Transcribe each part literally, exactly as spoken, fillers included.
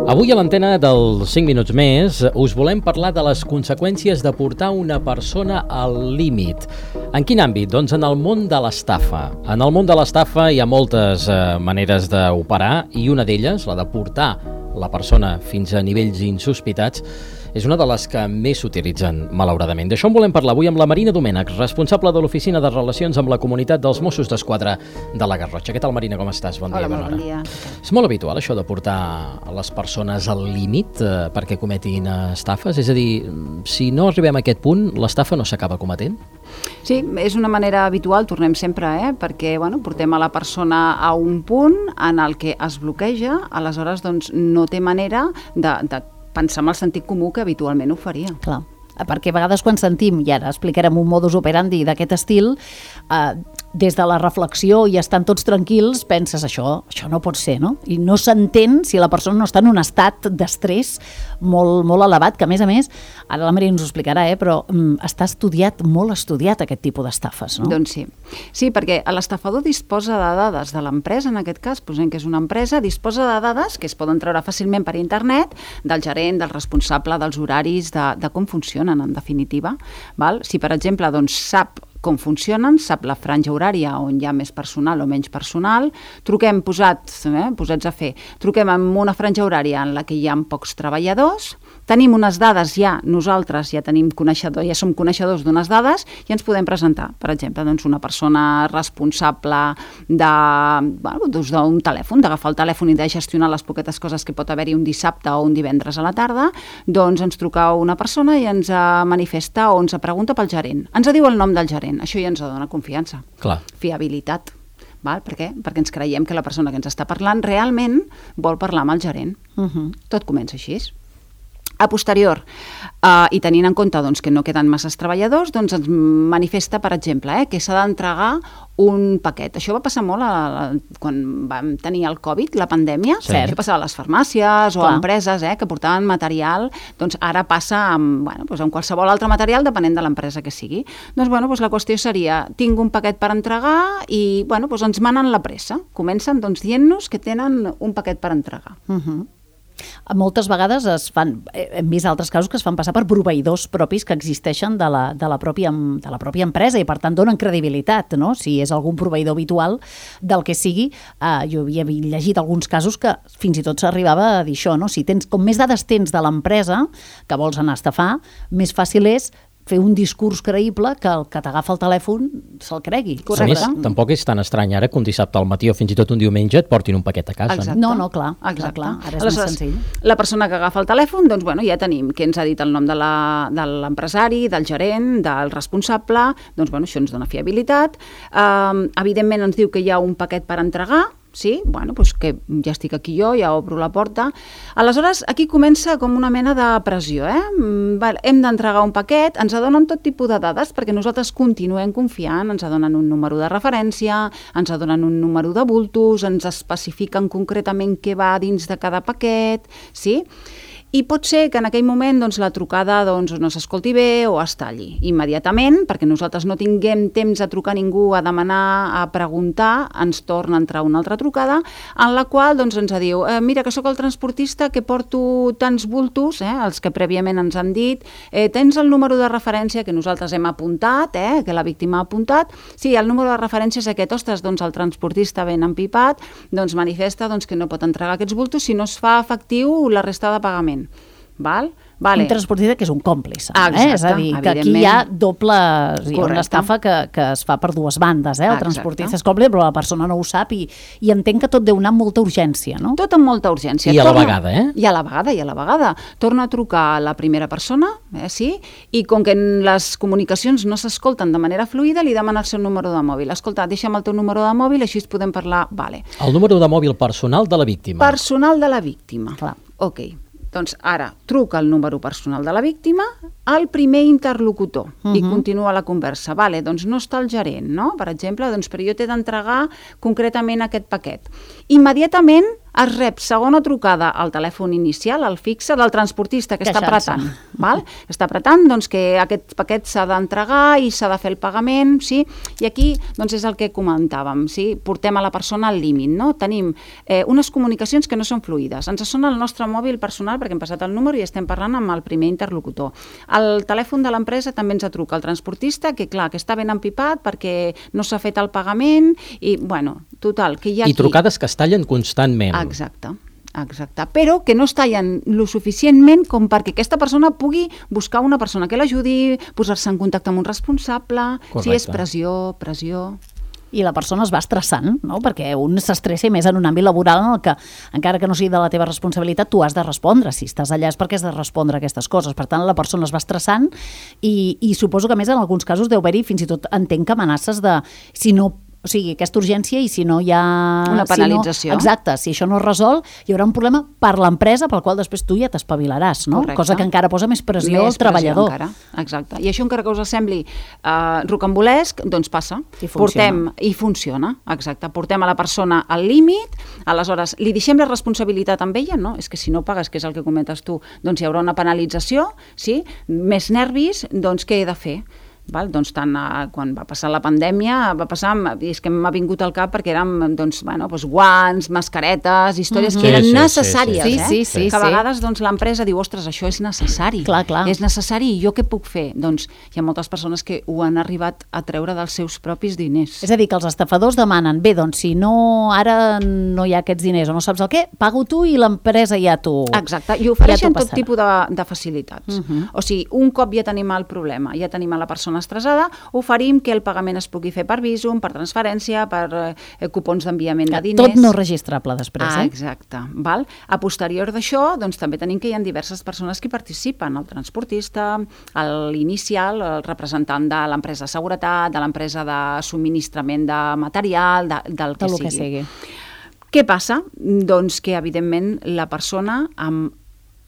Avui a l'antena dels cinc minuts més us volem parlar de les conseqüències de portar una persona al límit. En quin àmbit? Doncs en el món de l'estafa. En el món de l'estafa hi ha moltes eh, maneres d'operar i una d'elles, la de portar la persona fins a nivells insospitats, és una de les que més s'utilitzen, malauradament. D'això en volem parlar avui amb la Marina Domènech, responsable de l'Oficina de Relacions amb la Comunitat dels Mossos d'Esquadra de la Garrotxa. Què tal, Marina, com estàs? Bon Hola, dia, molt bon dia. És molt habitual això de portar les persones al límit eh, perquè cometin estafes? És a dir, si no arribem a aquest punt, l'estafa no s'acaba cometent? Sí, és una manera habitual, tornem sempre, eh? perquè bueno, portem a la persona a un punt en el que es bloqueja, aleshores doncs, no té manera de, de pensar en el sentit comú que habitualment ho faria. Clar, perquè a vegades quan sentim, i ara explicarem un modus operandi d'aquest estil, eh, des de la reflexió i estan tots tranquils, penses això, això no pot ser, no? I no s'entén si la persona no està en un estat d'estrès molt, molt elevat, que a més a més, ara la Maria ens ho explicarà, eh, però mm, està estudiat, molt estudiat aquest tipus d'estafes, no? Doncs sí. Sí, perquè l'estafador disposa de dades de l'empresa, en aquest cas, posem que és una empresa, disposa de dades que es poden treure fàcilment per internet, del gerent, del responsable, dels horaris, de, de com funcionen, en definitiva. Val? Si, per exemple, doncs, sap com funcionen, sap la franja horària on hi ha més personal o menys personal, truquem posats, eh, posats a fer, truquem en una franja horària en la que hi ha pocs treballadors, tenim unes dades ja, nosaltres ja tenim coneixedor, ja som coneixedors d'unes dades i ens podem presentar, per exemple, doncs una persona responsable de, bueno, doncs d'un telèfon, d'agafar el telèfon i de gestionar les poquetes coses que pot haver-hi un dissabte o un divendres a la tarda, doncs ens truca una persona i ens manifesta o ens pregunta pel gerent. Ens diu el nom del gerent. Això ja ens dona confiança, Clar. fiabilitat. Val? Per què? Perquè ens creiem que la persona que ens està parlant realment vol parlar amb el gerent. Uh-huh. Tot comença així. A posterior, uh, i tenint en compte doncs, que no queden masses treballadors, doncs ens manifesta, per exemple, eh, que s'ha d'entregar un paquet. Això va passar molt a, a, quan vam tenir el Covid, la pandèmia. Sí. Això passava a les farmàcies o Clar. a empreses eh, que portaven material. Doncs ara passa amb, bueno, doncs amb qualsevol altre material, depenent de l'empresa que sigui. Doncs, bueno, doncs la qüestió seria, tinc un paquet per entregar i bueno, doncs ens manen la pressa. Comencen doncs, dient-nos que tenen un paquet per entregar. Uh-huh. Moltes vegades es fan, hem vist altres casos que es fan passar per proveïdors propis que existeixen de la, de la, pròpia, de la pròpia empresa i per tant donen credibilitat, no? Si és algun proveïdor habitual del que sigui, eh, jo havia llegit alguns casos que fins i tot s'arribava a dir això, no? Si tens, com més dades tens de l'empresa que vols anar a estafar, més fàcil és fer un discurs creïble que el que t'agafa el telèfon se'l cregui. A més, tampoc és tan estrany ara que un dissabte al matí o fins i tot un diumenge et portin un paquet a casa. Exacte. No, no, clar, Exacte. clar, clar, ara és Aleshores, més senzill. La persona que agafa el telèfon, doncs bueno, ja tenim que ens ha dit el nom de la- de l'empresari, del gerent, del responsable, doncs bueno, això ens dona fiabilitat. Um, evidentment ens diu que hi ha un paquet per entregar, sí, bueno, doncs que ja estic aquí jo, ja obro la porta. Aleshores, aquí comença com una mena de pressió, eh? Mm, val, hem d'entregar un paquet, ens donen tot tipus de dades perquè nosaltres continuem confiant, ens donen un número de referència, ens donen un número de bultos, ens especifiquen concretament què va dins de cada paquet, sí? I pot ser que en aquell moment doncs, la trucada doncs, no s'escolti bé o es talli immediatament, perquè nosaltres no tinguem temps a trucar a ningú, a demanar, a preguntar, ens torna a entrar una altra trucada, en la qual doncs, ens diu, eh, mira que sóc el transportista que porto tants bultos, eh, els que prèviament ens han dit, eh, tens el número de referència que nosaltres hem apuntat, eh, que la víctima ha apuntat, sí, el número de referència és aquest, ostres, doncs el transportista ben empipat, doncs manifesta doncs, que no pot entregar aquests bultos si no es fa efectiu la resta de pagament. Val? Vale. Un transportista que és un còmplice, Ah, eh? exacte, És a dir, que aquí hi ha doble, hi ha una Correcte. estafa que, que es fa per dues bandes, eh? El Exacte. transportista és còmplice, però la persona no ho sap i, i entenc que tot deu anar amb molta urgència, no? Tot amb molta urgència. I a la Torna- vegada, eh? I a la vegada, i a la vegada. Torna a trucar a la primera persona, eh, sí, i com que les comunicacions no s'escolten de manera fluida, li demana el seu número de mòbil. Escolta, deixa'm el teu número de mòbil, així es podem parlar. Vale. El número de mòbil personal de la víctima. Personal de la víctima. Clar. Ok. Doncs ara truca el número personal de la víctima al primer interlocutor uh-huh. i continua la conversa. Vale, doncs no està el gerent, no? Per exemple, doncs, però jo t'he d'entregar concretament aquest paquet. Immediatament es rep segona trucada al telèfon inicial, al fixe, del transportista que està apretant. Val? Està apretant doncs, que aquest paquet s'ha d'entregar i s'ha de fer el pagament, sí? I aquí doncs, és el que comentàvem, sí? Portem a la persona al límit, no? Tenim eh, unes comunicacions que no són fluïdes. Ens sona el nostre mòbil personal perquè hem passat el número i estem parlant amb el primer interlocutor. El telèfon de l'empresa també ens truca el transportista, que clar, que està ben empipat perquè no s'ha fet el pagament i, bueno, total, que hi ha I aquí... trucades que es tallen constantment. Exacte, exacte. Però que no es tallen lo suficientment com perquè aquesta persona pugui buscar una persona que l'ajudi, posar-se en contacte amb un responsable, Correcte. si és pressió, pressió... I la persona es va estressant, no? Perquè un s'estressa més en un àmbit laboral en el que, encara que no sigui de la teva responsabilitat, tu has de respondre. Si estàs allà és perquè has de respondre a aquestes coses. Per tant, la persona es va estressant i, i suposo que, a més, en alguns casos deu haver-hi fins i tot entenc que amenaces de si no... O sigui, aquesta urgència i si no hi ha... Una penalització. Si no, exacte, si això no es resol, hi haurà un problema per l'empresa pel qual després tu ja t'espavilaràs, no? Correcte. Cosa que encara posa més pressió més al treballador. Pressió encara. Exacte. I això encara que us sembli uh, rocambolesc, doncs passa. I funciona. Portem, I funciona, exacte. Portem a la persona al límit, aleshores li deixem la responsabilitat amb ella, no? És que si no pagues, que és el que comentes tu, doncs hi haurà una penalització, sí? Més nervis, doncs què he de fer? Val? Doncs tant eh, quan va passar la pandèmia va passar, i és que m'ha vingut al cap perquè eren doncs, bueno, doncs, guants, mascaretes, històries Mm-hmm. que eren Sí, sí, necessàries, sí, sí. eh? Sí, sí, que a sí. vegades doncs, l'empresa diu, ostres, això és necessari. Clar, clar. És necessari i jo què puc fer? Doncs hi ha moltes persones que ho han arribat a treure dels seus propis diners. És a dir, que els estafadors demanen, bé, doncs si no, ara no hi ha aquests diners o no saps el què, pago tu i l'empresa ja t'ho... Exacte, i ofereixen ja tot tipus de, de facilitats. Uh-huh. O sigui, un cop ja tenim el problema, ja tenim a la persona estressada, oferim que el pagament es pugui fer per Bizum, per transferència, per eh, cupons d'enviament de diners. Tot no registrable després, Ah, eh? exacte. Val? A posterior d'això, doncs, també tenim que hi ha diverses persones que participen, el transportista, l'inicial, el representant de l'empresa de seguretat, de l'empresa de subministrament de material, de, del que Del sigui. que sigui. Què passa? Doncs que, evidentment, la persona amb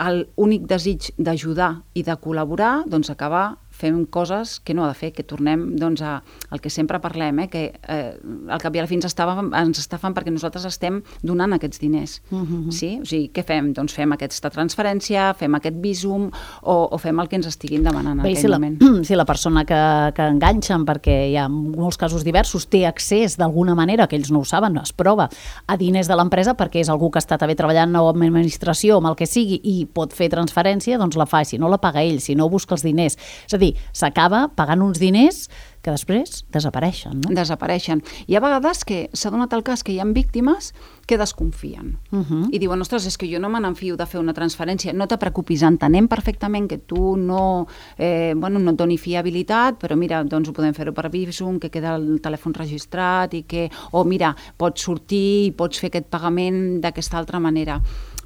l'únic desig d'ajudar i de col·laborar, doncs acaba fem coses que no ha de fer, que tornem doncs, a, al que sempre parlem, eh, que eh, al cap i a la fi ens estaven, ens estafen perquè nosaltres estem donant aquests diners. Uh-huh. Sí? O sigui, què fem? Doncs fem aquesta transferència, fem aquest Bizum o, o fem el que ens estiguin demanant en Bé, aquell si la, moment. si la persona que, que enganxen, perquè hi ha molts casos diversos, té accés d'alguna manera, que ells no ho saben, es prova, a diners de l'empresa perquè és algú que està també treballant o en administració, amb el que sigui, i pot fer transferència, doncs la fa, si no la paga ell, si no busca els diners. És a dir, s'acaba pagant uns diners que després desapareixen, no? Desapareixen. I a vegades que s'ha donat el cas que hi ha víctimes que desconfien. Uh-huh. I diuen, ostres, és que jo no me n'enfio de fer una transferència. No te preocupis, entenem perfectament que tu no, eh, bueno, no et doni fiabilitat, però mira, doncs ho podem fer-ho per Bizum, que queda el telèfon registrat i que, o mira, pots sortir i pots fer aquest pagament d'aquesta altra manera.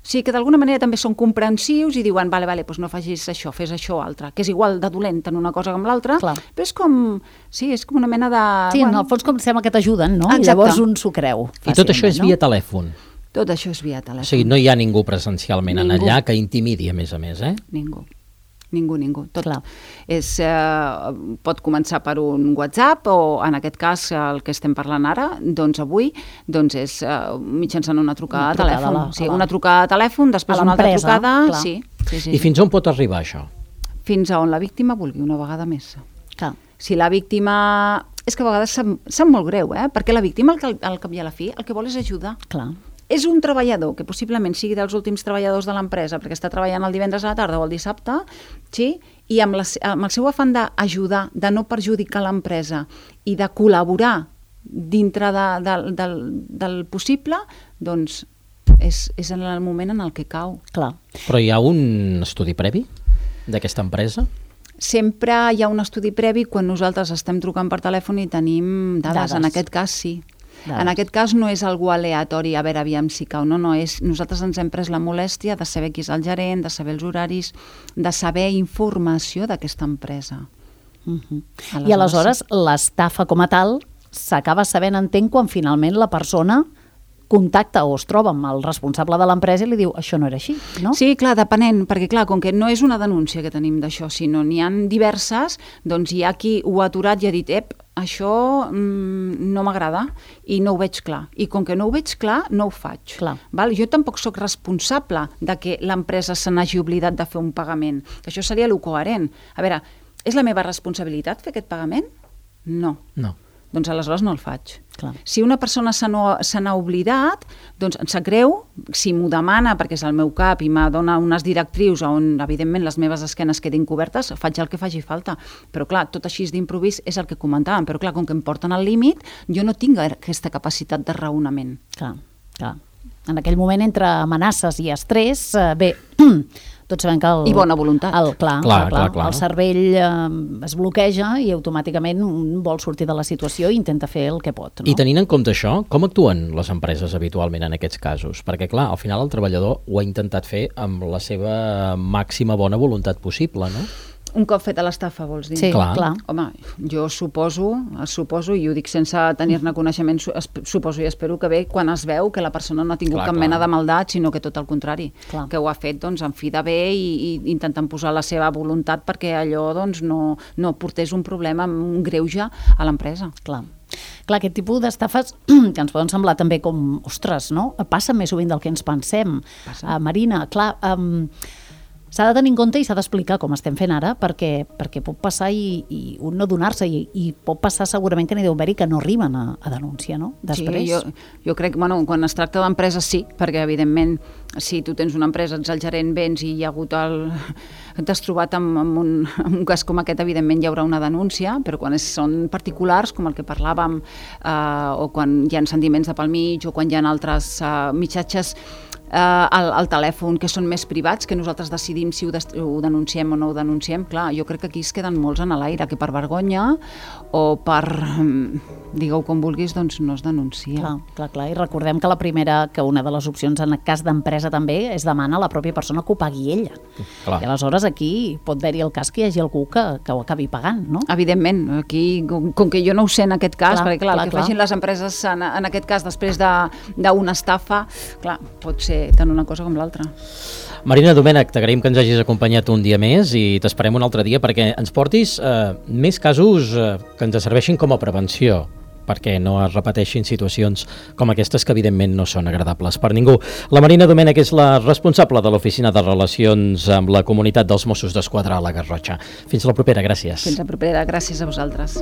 O sigui que d'alguna manera també són comprensius i diuen, vale, vale, doncs no facis això, fes això altre, que és igual de dolent en una cosa com l'altra, Clar. però és com, sí, és com una mena de... Sí, bueno, en el fons com sembla que t'ajuden, no? Exacte. I llavors un s'ho creu. I tot això és fàcilment, via telèfon. tot això és via telèfon. O sigui, no hi ha ningú presencialment en Ningú. allà que intimidi, a més a més, eh? Ningú. Ningú, ningú. Tot Clar. és, eh, pot començar per un WhatsApp o, en aquest cas, el que estem parlant ara, doncs avui, doncs és eh, mitjançant una trucada, Una trucada a telèfon. a la- sí, a la- una trucada a telèfon, després a una altra l'empresa, trucada... clar. Sí, sí, sí. I fins on pot arribar això? Fins a on la víctima vulgui, una vegada més. Clar. Si la víctima... És que a vegades sap, sap molt greu, eh? Perquè la víctima, al, cal- al cap i a la fi, el que vol és ajudar. Clar. És un treballador que possiblement sigui dels últims treballadors de l'empresa perquè està treballant el divendres a la tarda o el dissabte, sí? I amb, la, amb el seu afany d'ajudar, de no perjudicar l'empresa i de col·laborar dintre de, de, del, del possible, doncs és, és en el moment en el que cau. Clar. Però hi ha un estudi previ d'aquesta empresa? Sempre hi ha un estudi previ quan nosaltres estem trucant per telèfon i tenim dades. Dades. En aquest cas sí. Dades. En aquest cas no és algú aleatori, a veure, aviam si cau, no, no, és, nosaltres ens hem pres la molèstia de saber qui és el gerent, de saber els horaris, de saber informació d'aquesta empresa. Uh-huh. Aleshores, I aleshores l'estafa com a tal s'acaba sabent, entenc, quan finalment la persona contacta o es troba amb el responsable de l'empresa i li diu, això no era així, no? Sí, clar, depenent, perquè clar, com que no és una denúncia que tenim d'això, sinó n'hi ha diverses, doncs hi ha qui ho ha aturat i ha dit, ep, això mm, no m'agrada i no ho veig clar. I com que no ho veig clar, no ho faig. Clar. Val? Jo tampoc sóc responsable de que l'empresa se n'hagi oblidat de fer un pagament. Això seria el coherent. A veure, és la meva responsabilitat fer aquest pagament? No. No. Doncs aleshores no el faig. Clar. Si una persona se n'ha oblidat, doncs em sap greu, si m'ho demana perquè és el meu cap i me dona unes directrius on, evidentment, les meves esquenes quedin cobertes, faig el que faci falta. Però, clar, tot així d'improvís és el que comentàvem, però, clar, com que em porten al límit, jo no tinc aquesta capacitat de raonament. Clar, clar. En aquell moment, entre amenaces i estrès, eh, bé, tots sabem que el... I bona voluntat. El, clar, Clar, clar, clar, clar, clar. el cervell eh, es bloqueja i automàticament un vol sortir de la situació i intenta fer el que pot. No? I tenint en compte això, com actuen les empreses habitualment en aquests casos? Perquè, clar, al final el treballador ho ha intentat fer amb la seva màxima bona voluntat possible, no? Un cop feta l'estafa, vols dir? Sí, clar. clar. Home, jo suposo, suposo, i ho dic sense tenir-ne coneixement, suposo i espero que bé quan es veu que la persona no ha tingut Clar, cap clar. mena de maldat, sinó que tot el contrari, Clar. que ho ha fet doncs, en fi de bé i, i intentant posar la seva voluntat perquè allò doncs, no, no portés un problema, un greuge a l'empresa. Clar. Clar, aquest tipus d'estafes que ens poden semblar també com, ostres, no? Passa més sovint del que ens pensem. Uh, Marina, clar, um, s'ha de tenir en compte i s'ha d'explicar com estem fent ara perquè, perquè pot passar i, i un no donar-se i, i pot passar segurament que n'hi deu haver-hi que no arriben a, a denúncia, no? Després. Sí, jo, jo crec que bueno, quan es tracta d'empreses sí, perquè evidentment si tu tens una empresa, ets el gerent, vens i hi ha hagut el... t'has trobat amb, amb, un, amb un cas com aquest, evidentment hi haurà una denúncia, però quan és, són particulars, com el que parlàvem, eh, o quan hi ha sentiments de pel mig, o quan hi ha altres eh, missatges eh, al, al telèfon que són més privats, que nosaltres decidim si ho, des, ho denunciem o no ho denunciem, clar, jo crec que aquí es queden molts en l'aire, que per vergonya o per, digueu com vulguis, doncs no es denuncia. Clar, clar, clar. I recordem que la primera, que una de les opcions en el cas d'empresa també, és demanar a la pròpia persona que ho pagui ella. Clar. I aleshores aquí pot haver-hi el cas que hi hagi algú que, que ho acabi pagant, no? Evidentment, aquí, com, com que jo no ho sé en aquest cas, Clar, perquè clar, clar, el que clar. facin les empreses en, en aquest cas després d'una estafa, clar, pot ser tant una cosa com l'altra. Marina Domènech, t'agraïm que ens hagis acompanyat un dia més i t'esperem un altre dia perquè ens portis eh, més casos eh, que ens serveixin com a prevenció, perquè no es repeteixin situacions com aquestes que evidentment no són agradables per ningú. La Marina Domènech és la responsable de l'Oficina de Relacions amb la Comunitat dels Mossos d'Esquadra a la Garrotxa. Fins la propera, gràcies. Fins la propera, gràcies a vosaltres.